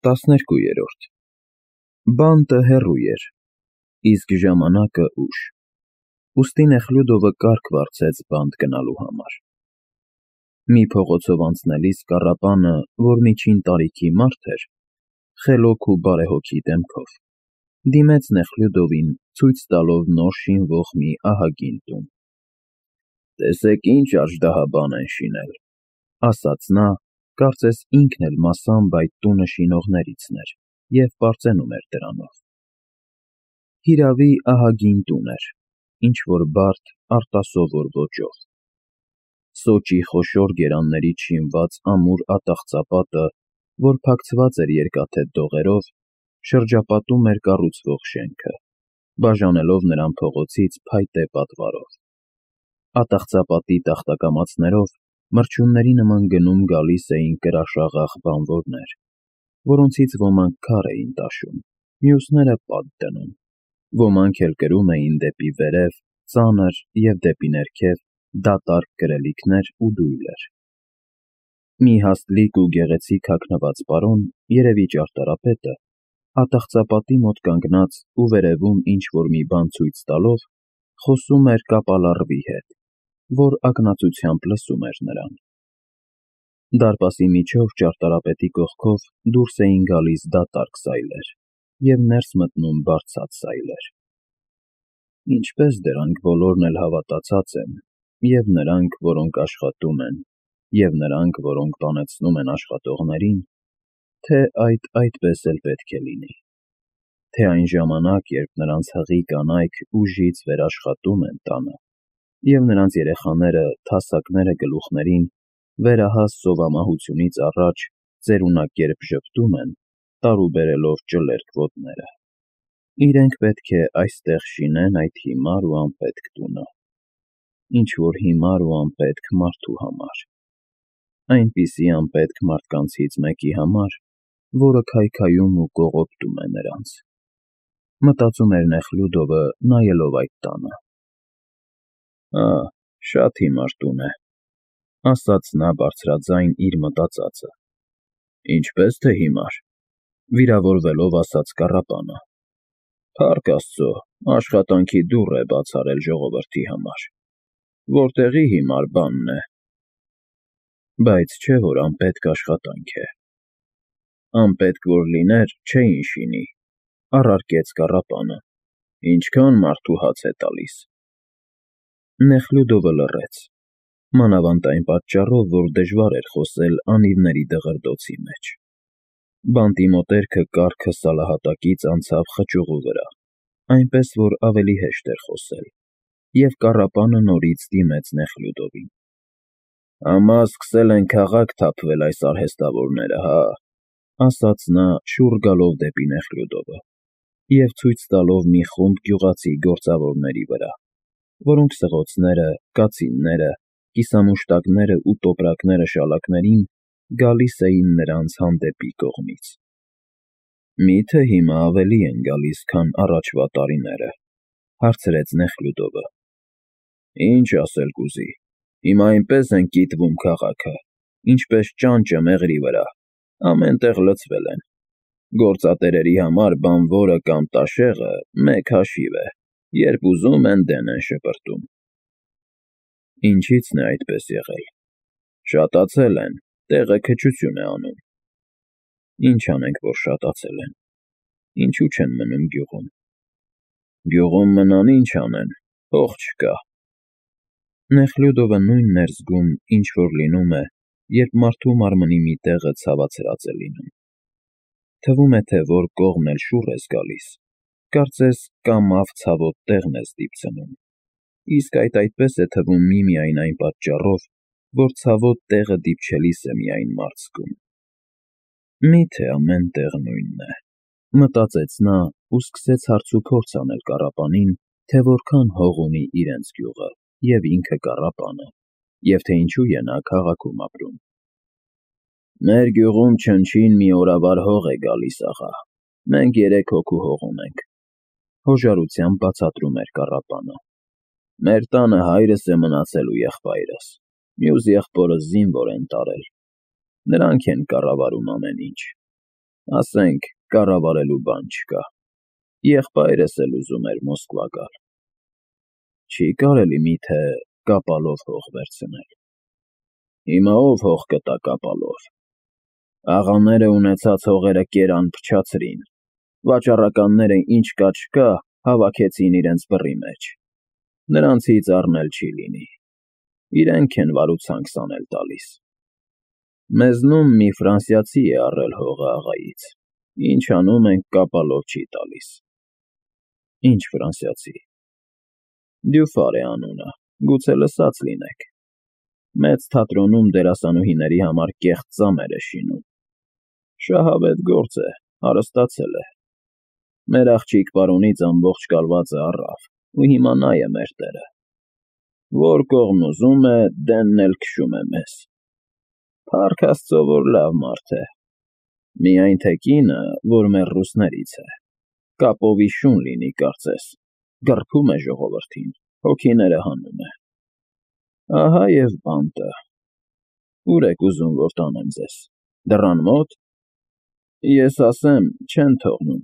12. Բանտը հեռու էր, իսկ ժամանակը ուշ, ուստի Նեխլյուդովը կարգ վարձեց բանտ գնալու համար։ Մի փողոցով անցնելիս կառապանը, որ միջին տարիքի մարդ էր, խելոք ու բարեհոգի դեմքով, դիմեց Նեխլյուդովին, ցույց տալով նոր շինվող մի ահագին տուն։ «Տեսեք ինչ աժդահաբան են շինել», ասաց նա, կարծես ինքն էլ մասամբ այդ տունը շինողներիցն էր և պարծենում էր դրանով։ Հիրավի, ահագին տուն էր, ինչ-որ բարդ, արտասովոր ոճով։ Սոճի խոշոր գերաններից շինված ամուր ատաղծապատը, որ փակցված էր երկաթե դողերով, շրջապատում էր կառուցվող շենքը, բաժանելով նրան փողոցից փայտե պատվարով։ Ատաղծապատի տախտակամածներով մրջյունների նման գնում֊գալիս էին կրաշաղախ բանվորներ, որոնցից ոմանք քար էին տաշում, մյուսները պատ դնում, ոմանք էլ կրում էին դեպի վերև ծանր և դեպի ներքև դատարկ կրելիքներ ու դույլեր։ Մի հաստլիկ ու գեղեցիկ հագնված պարոն, երևի ճարտարապետը, ատաղծապատի մոտ կանգնած ու վերևում ինչ-որ մի բան ցույց տալով, խոսում էր կապալառվի հետ, որ ակնածությամբ լսում էր նրան։ Դարպասի միջով ճարտարապետի կողքով դուրս էին գալիս դատարկ սայլեր և ներս մտնում բարձած սայլեր։ Ինչպես դրանք բոլորն էլ հավատացած են, և նրանք, որոնք աշխատում են, և նրանք, որոնք բանեցնում են աշխատողներին, թե այդպես էլ պետք է լինի, թե այն ժամանակ, երբ նրանց հղի կանայք ուժից վերաշխատում են տանը, և նրանց երեխաները, թասակները գլուխներին, վերահաս սովամահությունից առաջ ծերունակերպ ժպտում են, տարուբերելով ճլերկ ոտները, իրենք պետք է այստեղ շինեն այդ հիմար ու անպետք տունը, ինչ-որ հիմար ու անպետք մարդու համար, այնպիսի անպետք մարդկանցից մեկի համար, որը քայքայում ու կողոպտում է նրանց, մտածում էր Նեխլյուդովը, նայելով այդ տանը։ Շատ հիմար տուն է, ասաց նա բարձրաձայն իր մտածածը։ Ինչպես թե հիմար, վիրավորվելով ասաց կառապանը։ Փառք Աստծո, աշխատանքի դուռ է բաց արել ժողովրդի համար, որտեղի հիմար բանն է։ Բայց չէ որ անպետք աշխատանք է։ Անպետք որ լիներ, չէին շինի, առարկեց կառապանը, ինչքան մարդու հաց է տալիս։ Նեխլյուդովը լռեց, մանավանդ այն պատճառով, որ դժվար էր խոսել անիվների դղրդոցի մեջ։ Բանտի մոտերքը կառքը սալահատակից անցավ խճուղու վրա, այնպես որ ավելի հեշտ էր խոսել, և կառապանը նորից դիմեց Նեխլյուդովին։ Ամա սկսել են քաղաք թափվել այս արհեստավորները, հա, ասաց նա, շուռ գալով դեպի Նեխլյուդովը և ցույց տալով մի խումբ գյուղացի գործավորների վրա, որոնք սղոցները, կացինները, կիսամուշտակները ու տոպրակները շալակներին գալիս էին նրանց հանդեպի կողմից։ Մի՞թե հիմա ավելի են գալիս, քան առաջվա տարիները, հարցրեց Նեխլյուդովը։ Ինչ ասել կուզի, հիմա այնպես են կիտվում քաղաքը, ինչպես ճանճը մեղրի վրա, ամեն տեղ լցվել են։ Գործատերերի համար բանվորը կամ տաշեղը մեկ հաշիվ է, երբ ուզում են դեն են շպրտում։ Ինչի՞ցն է այդպես եղել։ Շատացել են, տեղը քչություն է անում։ Ինչ անենք, որ շատացել են, ինչու չեն մնում գյուղում։ Գյուղում մնան ինչ անեն, փող չկա։ Նեխլյուդովը նույնն էր զգում, ինչ որ լինում է, երբ մարդու մարմնի մի տեղը ցավացրած է լինում։ Թվում է, թե որ կողմն էլ շուռ ես գալիս, կարծես կամավ ցավոտ տեղն ես դիպցնում, իսկ այդպես է թվում միմիայն այն պատճառով, որ ցավոտ տեղը դիպչելիս է միայն մարդ զգում։ Մի՞թե ամեն տեղ նույնն է, մտածեց նա ու սկսեց հարցուփորձ անել կառապանին, թե որքան հող ունի իրենց գյուղը և ինքը կառապանը, և թե ինչու է նա քաղաքում ապրում։ Մեր գյուղում չնչին մի օրավար հող է գալիս, աղա, մենք 3 հոգու հող ունենք, հոժարությամբ բացատրում էր կառապանը։ Մեր տանը հայրս է մնացել ու եղբայրս, մյուս եղբորս զինվոր են տարել, նրանք են կառավարում ամեն ինչ։ Ասենք, կառավարելու բան չկա։ Եղբայրս էլ ուզում էր Մոսկվա գալ։ Չի կարելի միթե կապալով հող վերցնել։ Հիմա ով հող կտա կապալով։ Աղաները ունեցած հողերը կերան փչացրին, վաճառականները ինչ կա չկա հավաքեցին իրենց բռի մեջ։ Նրանցից առնել չի լինի։ Իրենք են վարուցանք սանել տալիս։ Մեզնում մի ֆրանսիացի է առել հողը աղայից, ինչ անում ենք կապալով չի տալիս։ Ինչ ֆրանսիացի։ Դյուֆար է անունը, գուցե լսած լինեք։ Մեծ թատրոնում դերասանուհիների համար կեղծ ծամեր է շինում։ Շահավետ գործ է, հարստացել է։ Մեր աղջիկ պարոնից ամբողջ կալվածը առավ, ու հիմա նա է մեր տերը։ Որ կողմն ուզում է, դենն էլ քշում է մեզ։ Փառք Աստծո, որ լավ մարդ է։ Միայն թե կինը, որ մեր ռուսներից է, կապովի շուն լինի, կարծես, գռփում է ժողովրդին, հոգիները հանում է։ Ահա և բանտը։ Ուր եք ուզում, որ տանեմ ձեզ, դռան մո՞տ։ Ես ասեմ, չեն թողնում։